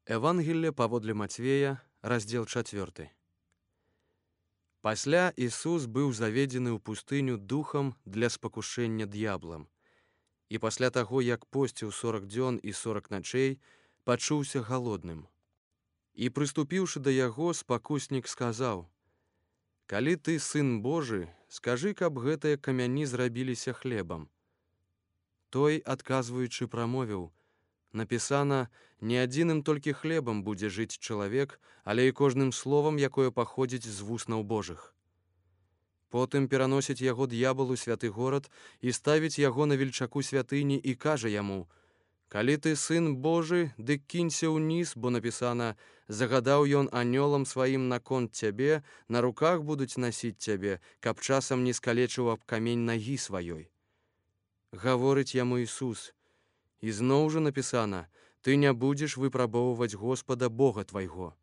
Евангелие паводле Мацвея, раздзел 4. Пасля Ісус быў заведзены ў пустыню духам для спакушэння д'яблам. І пасля таго, як посціў 40 дзён і 40 начэй, пачуўся галодным. І прыступіўшы да яго, спакуснік сказаў: «Калі ты сын Божы, скажы, каб гэтыя камяні зрабіліся хлебам». Той, адказваючы, прамовіў: «Напісана, не адзіным толькі хлебам будзе жыць чалавек, але і кожным словам, якое паходзіць з вуснаў Божых». Потым пераносіць яго д'ябал у святы горад і ставіць яго на вельчаку святыні і кажа яму: «Калі ты сын Божы, дык кінься ўніз, бо напісана, загадаў ён анёлам сваім наконт цябе, на руках будуць насіць цябе, каб часам не скалечыў аб камень нагі сваёй». Гаворыць яму Ісус: «І зноў жа напісана, ты не будзеш выпрабоўваць Господа Бога твайго».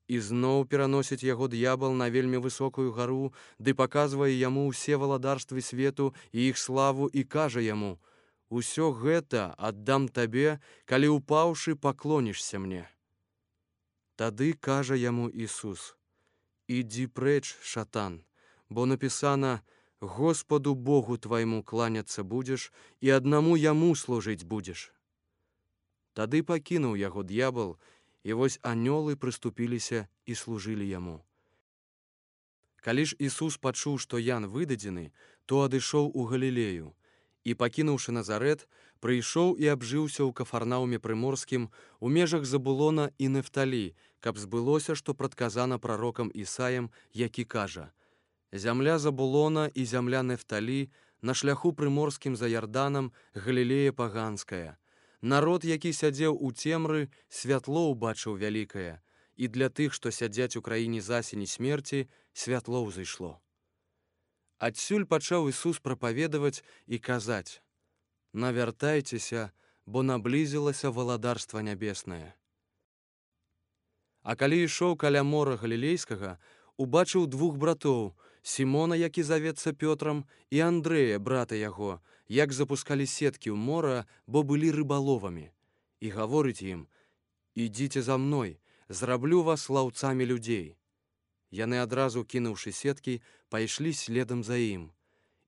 І зноў пераносіць яго д'ябал на вельмі высокую гару, ды паказвае яму ўсе валадарствы свету і іх славу і кажа яму: «Усё гэта аддам табе, калі упаўшы паклонішся мне». Тады кажа яму Ісус: «Ідзі прэч, шатан, бо напісана, Господу Богу твайму кланяцца будзеш і аднаму яму служыць будзеш». Тады пакінуў яго д'ябал, і вось анёлы прыступіліся і служылі яму. Калі ж Ісус пачуў, што Ян выдадзены, то адышоў у Галілею, і, пакінуўшы Назарэт, прыйшоў і абжыўся ў Кафарнауме прыморскім у межах Забулона і Нефталі, каб збылося, што прадказана прарокам Ісаем, які кажа: «Зямля Забулона і зямля Нефталі на шляху прыморскім за Ярданам, Галілея паганская. Народ, які сядзеў у цемры, святло ўбачыў вялікае, і для тых, што сядзяць у краіне засені смерці, святло ўзышло». Адсюль пачаў Ісус прапаведаваць і казаць: «Навяртайцеся, бо наблізілася валадарства нябеснае». А калі ішоў каля мора Галілейскага, убачыў двух братоў, Сімона, які завецца Пётрам, і Андрэя, брата яго, як запускалі сеткі ў мора, бо былі рыбаловамі. І гаворыць ім: «Ідзіце за мной, зраблю вас лаўцамі людзей». Яны адразу, кінуўшы сеткі, пайшлі следам за ім.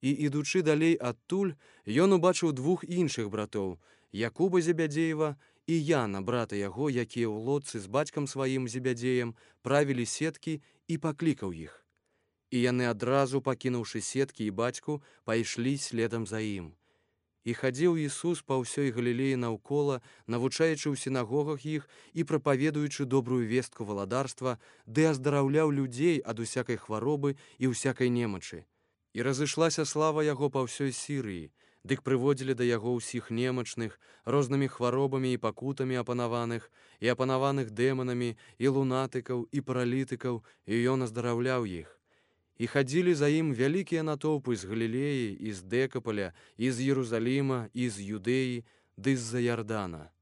І, ідучы далей адтуль, ён убачыў двух іншых братоў, Якуба Зебядзеева і Яна, брата яго, якія ў лодцы з бацькам сваім Зебядзеем правілі сеткі, і паклікаў іх. І яны адразу, пакінуўшы сеткі і бацьку, пайшлі следам за ім. І хадзіў Ісус па ўсёй Галілеі наўкола, навучаючы ў сінагогах іх і прапаведуючы добрую вестку валадарства, ды аздараўляў людзей ад усякай хваробы і ўсякай немачы. І разышлася слава яго па ўсёй Сірыі, дык прыводзілі да яго ўсіх немачных, рознымі хваробамі і пакутамі апанаваных, і апанаваных дэманамі, і лунатыкаў, і паралітыкаў, і ён аздараўляў іх. І хадзілі за ім вялікія натоўпы з Галілеі, і з Дэкапаля, і з Єрусаліма, і з Юдэі, ды з-за Ярдана.